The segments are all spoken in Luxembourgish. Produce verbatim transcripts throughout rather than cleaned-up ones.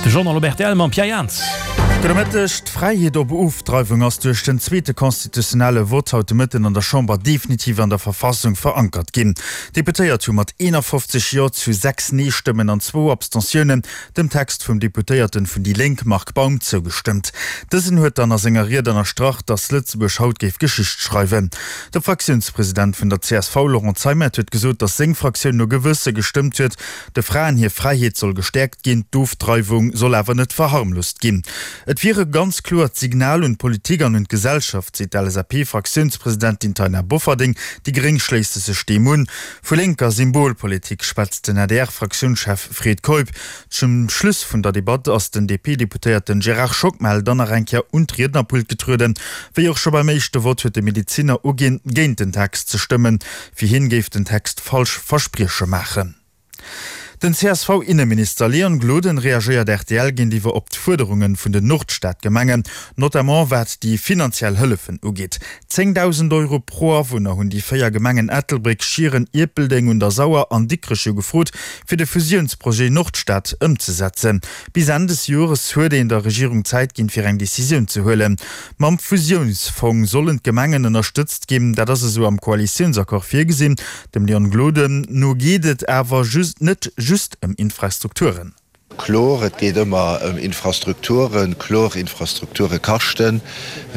De Journal op rtl mam Pierre Jans. Gudde Mëtteg. D'Fräiheet op Ofdreiwung ass duerch den zweete constitutionnelle Vott haut de Mëtten an der Chamber definitiv an der Verfassung verankert ginn. D'Deputéiert hu mat eenafofzeg Jo zu sechs Nee-Stëmmen an zwou Abstentiounen dem Text vum Deputéierten vun déi Lénk Marc Baum zougestëmmt. Dësen huet dann a senger Ried ënnerstrach, datt Lëtzebuerg haut géif Geschicht schreiwen. De Fraktiounspresident vun der csv Laurent Zeimet huet gesot, datt seng Fraktioun no Gewësse gestëmmt huet. De Fraen hir Fräiheet soll gestäerkt ginn, d'Ofdreiwung soll awer net verharmlost ginn. Et wier e ganz kloert Signal un d'Politik an un d'Gesellschaft, seet d'LSAP-Fraktiounspresidentin Taina Bofferding. Déi Gréng schléisse sech deem un. Vu lénker Symbolpolitik schwätzt den A D R-Fraktiounschef Fred Keup. Zum Schluss vun der Debatt ass den D P-Deputéierten Gérard Schockmel dann nach eng Kéier un d'Riednerpult getrueden. Wéi och scho beim éischte Vott huet de Medezinner uginn, géint den Text ze stëmmen. Fir hien géif den Text falsch Versprieche maachen. Den C S V-Inneminister Leon Gloden reagéiert R T L géintiwwer op d'Fuerderunge vun den Nordstadgemengen, notamment wat déi finanziell Hëllefen ugeet. zéngdausend Euro pro Awunner hunn déi véier Gemengen Ettelbréck, Schieren, Ierpeldeng un der Sauer an Dikrech jo gefrot, fir de Fusiounsprojet Nordstad ëmzesetzen. Bis Enn des Jores huet een der Regierung Zäit ginn, fir eng Decisioun ze huelen. Mam Fusiounsfong sollen d'Gemengen ënnerstëtzt ginn, dat ass esou am Koalitiounsaccord virgesinn. Dem Leon Gloden no geet et awer just net just ëm Infrastrukturen. Kloer, et geet ëmmer ëm Infrastrukturen. Kloer, Infrastrukture kaschten.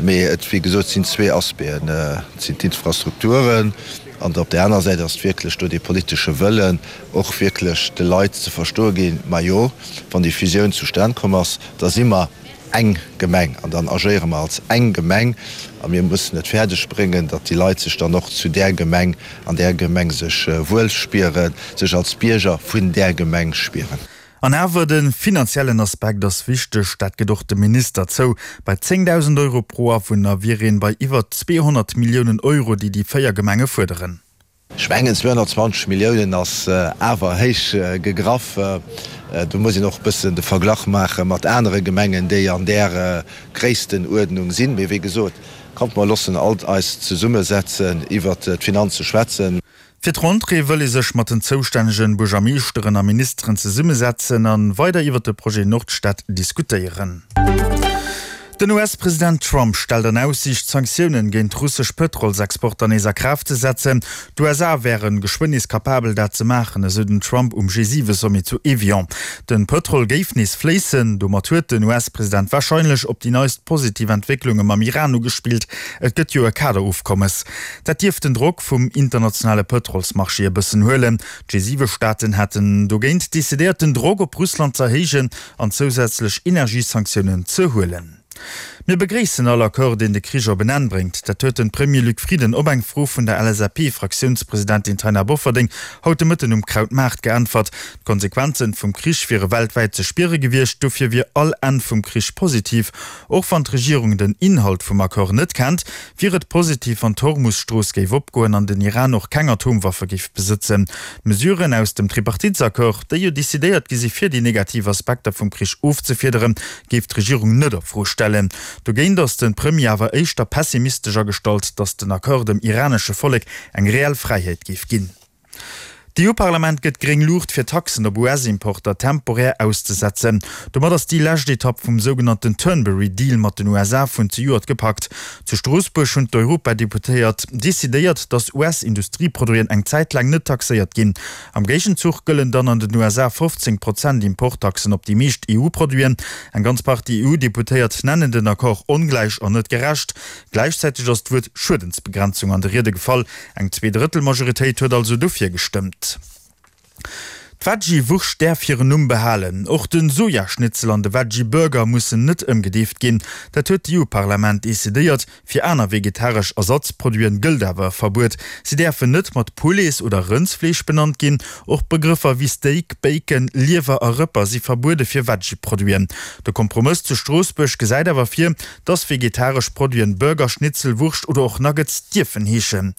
Mee et, wéi gesot, sinn zwee Aspecten. Et sinn d'Infrastrukturen an op där aner Säit ass et wierklech do dee politesche Wëllen, och wierklech de Leit ze verstoe ginn, Majo, wann déi Fusioun zustan komm ass, da si mer eng Gemeng an dann agéiere mer als eng Gemeng a mir mussen et fäerdeg bréngen, datt déi Leit sech dann och zu där Gemeng, an där Gemeng sech wuel spieren, sech als Bierger vun där Gemeng spieren. An awer, de finanziellen Aspekt ass wichteg, dat gëtt och de Minister zou. Bei zéngdausend Euro pro Awunner wier een bei iwwer zweehonnert Milliounen Euro, déi déi véier Gemenge fuerderen. Ech mengen, zweehonnertzwanzeg Milliounen ass awer héich gegraff. Do muss een och e bëssen de Verglach maache mat anere Gemengen, déi an där Gréisstenuerdnung sinn. Mee wéi gesot, kommt mer loossen alt eis zesummesetzen, iwwert d'Finanze schwätzen. Fir d'Rentrée wëll ee sech mat den zoustännegen Buergermeeschteren a Ministeren zesummesetzen an weider iwwert de Projet Nordstad diskutéieren. Den U S-President Trump stellt an Aussiicht, Sanktiounen géint russesch Pëtrolsexporter nees a Kraaft ze setzen. D'U S A wären geschwënn nees kapabel dat ze maachen, esou den Trump um G siwe Sommet zu Evian. Den Pëtrol géif nees fléissen. Domat huet den U S-President warscheinlech op déi neist positiv Entwécklunge mam Iran ugespillt. Et gëtt jo e Kaderofkommes. Dat dierft den Drock vum internationale Pëtrolsmarché e bëssen huelen. D'G siwe Staaten hätten dogéint decidéiert, den Drock op Russland ze erhéijen an zousätzlech Energiesanktiounen ze huelen. Mir begréissen all Accord, deen de Krich op en Enn bréngt. Dat huet de Premier Luc Frieden op eng Fro vun der L S A P-Fraktiounspresidentin Taina Bofferding haut de Mëtten um Krautmaart geäntwert. D'Konsequenzen vum Krich wiere weltwäit ze spiere gewiescht, dofir wier all Enn vum Krich positiv. Och wann d'Regierung den Inhalt vum Accord net kennt, wier et positiv, wann d'Hormus-Strooss géif opgoen an den Iran och keng Atomwaffe géif besëtzen. D'Mesuren aus dem Tripartitsaccord, déi jo decidéiert gi si fir déi negativ Aspekter vum Krich ofzefiederen, géif d'Regierung net a Fro stellen. Dogéint ass de Premier awer éischter pessimistesch agestallt, datt den Accord dem iranesche Vollek eng reell Fräiheet géif ginn. D'E U-Parlament gëtt gréng Luucht fir Taxen op U S-Importer temporär auszesetzen. Domat ass déi lescht Etapp vum sougenannten Turnberry Deal mat den U S A vun zejoert gepackt. Zu Stroossbuerg hunn d'Europadeputéiert decidéiert, datt U S-Industrieproduiten eng Zäit laang net taxéiert ginn. Am Géigenzuch gëllen dann an den U S A fofzéng Prozent Importtaxen op déi meescht E U-Produiten. Eng ganz Partie E U-Deputéiert nennen den Accord ongläich an net gerecht. Gläichzäiteg ass d'Wuert Schuedensbegrenzung an de Riede gefall. Eng Zweedrëttelmajoritéit huet also dofir gestëmmt. D'Veggie-Wurscht däerf hiren Numm behalen. Och den Sojaschnitzel an de Veggie-Burger mussen net ëmgedeeft ginn. Dat huet d'E U-Parlament decidéiert. Fir aner vegetaresch Ersatzproduiten gëllt awer e Verbuet. Si däerfen net mat Poulets oder Rëndsfleesch benannt ginn. Och Begrëffer wéi Steak, Bacon, Liewer a Rëpper si verbuede fir Veggie-Produiten. De Kompromëss zu Stroossbuerg gesäit awer vir, dass vegetaresch Produiten Burger, Schnitzel, Wurscht oder och Nuggets dierfen heeschen.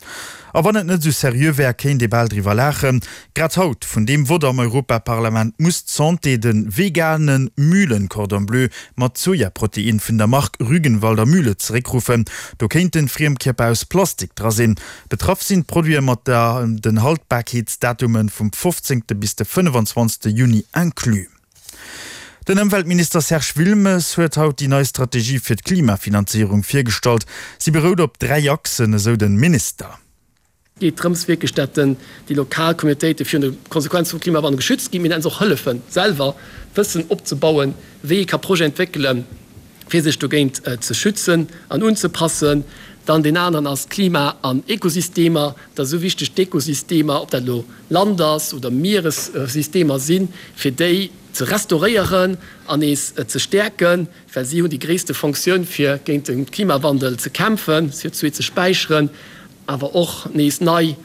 A wann et net esou seriö wär, kéint ee bal driwwer laachen. Grad haut, vun deem Vott am Europaparlament, muss d'Santé de vegane Mühlen-Cordon Bleu mat Sojaprotein vun der Mark Rügenwalder Mühle zeréckruffen. Do kéinten Friemkierper aus Plastik dra sinn. Betraff sinn d'Produite mat den Haltbarkeetsdatume vum fofzéngte bis de fënnefenzwanzegste Juni inclus. Den Ëmweltminister Serge Wilmes huet haut déi nei Strategie fir d'Klimafinanzéierung virgestallt. Si berout op dräi Achsen, esou de Minister. Et geet drëms wierklech, dat déi lokal Communautéite virun de Konsequenze vum Klimawandel geschützt ginn, mee och hëllefen, selwer Wëssen opzebauen, wéi ee ka Projeten entwéckelen, fir sech dogéint ze schützen an unzepassen. Dann deen aneren ass Klima an Ekosystemer. Dat ass esou wichteg, d'Ekosystemer, ob dat elo Land ass oder Mieressystemer sinn, fir déi ze restauréieren an nees ze stäerken, well si hunn déi gréisste Fonctioun, fir géint de Klimawandel ze kämpfen, C O zwee ze späicheren, awer och nees nei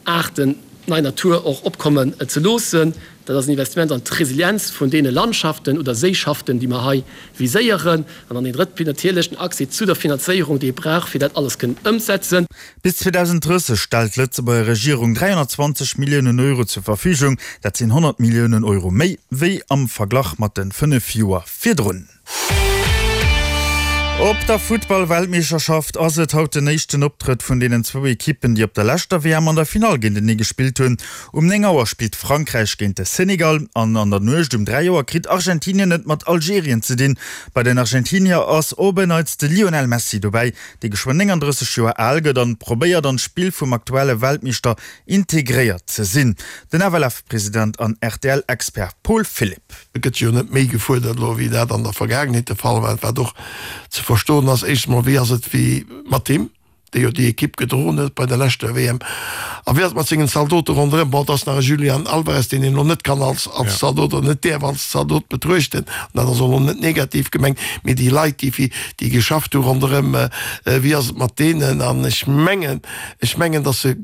Aarten, nei Natur och opkommen ze loossen. Dat ass en Investissement an d'Resilienz vun deene Landschaften oder Séischaften, déi mer hei viséieren. An dann deen drëtte Pilier natierlech, den Accès zu der Finanzéierung, déi ee brauch, fir dat alles kënnen ëmsetzen. Bis zweedausenddrësseg stellt d'Lëtzebuerger Regierung dräihonnertzwanzeg Milliounen Euro zur Verfügung. Dat sinn honnert Milliounen Euro méi wéi am Verglach mat de fënnef Joer virdrun. Op der Futtball-Weltmeeschterschaft ass et haut den éischten Optrëtt vun deenen zwou Ekippen, déi op der leschter W M an der Finall géintenee gespillt hunn. Um néng Auer spillt Frankräich géint de Senegal an an der Nuecht um dräi Auer kritt Argentinien et mat Algerien ze dinn. Bei den Argentinier ass op en Neits de Lionel Messi dobäi, dee geschwënn nénganddrësseg Joer al gëtt an probéiert an d'Spill vum aktuelle Weltmeeschter integréiert ze sinn. Den F L F-President an R T L-Expert Paul Philipp. Et gëtt jo net méi gefuerdert elo, wéi dat an der Vergaangenheet de Fall war, wat och ze verstoen ass. Éischt emol, wéi ass et wéi mat him, dee jo déi Ekipp gedroen huet bei der leschter W M, a wéi ass et mat sengen Zaldote ronderëm? Bon, et ass nach e Julian Alvarez, deen een elo net kann als als Zaldot oder net däerf als Zaldot betruechten, an dat ass och elo net negativ gemengt, mee déi Leit, déi fir déi geschafft hu ronderëm, wéi ass et mat deenen? An ech mengen, ech mengen, datt se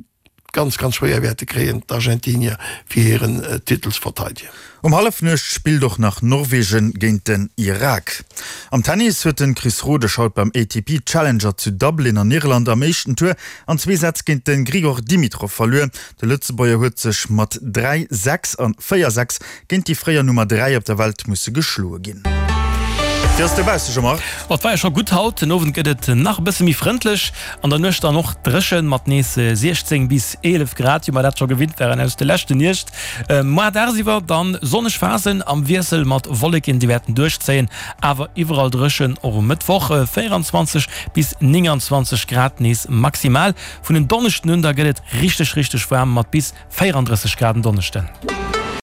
ganz, ganz schwéier wäerte kréien, d'Argentinier, fir hiren Titel ze verteidegen. Um Hallefnuecht spillt och nach Norwegen géint den Irak. Am Tennis huet den Chris Rodesch haut beim A T P Challenger zu Dublin an Irland am éischten Tour an zwee Sätz géint den Grigor Dimitrov verluer. De Lëtzebuerger huet sech mat dräi, sechs an véier, sechs géint déi fréier Nummer dräi op der Welt musse geschloe ginn. Wéi ass dobausse, Jean-Marc? Ma et war jo scho gutt haut. Den Owend gëtt et nach e bësse méi frëndlech, an der Nuecht dann och dréchen mat nees siechzéng bis eelef Grad, wéi mer dat scho gewinnt waren aus de leschte Nuecht. Moar dagsiwwer dann sonneg Phasen am Wiessel mat Wolleken, déi wäerten duerchzéien, awer iwwerall dréchen. Och um Mëttwoch véieranzwanzeg bis nénganzwanzeg Grad nees maximal. Vun en Donneschden un da gëtt et richteg richteg waarm mat bis véierandrësseg Grad en Donneschden.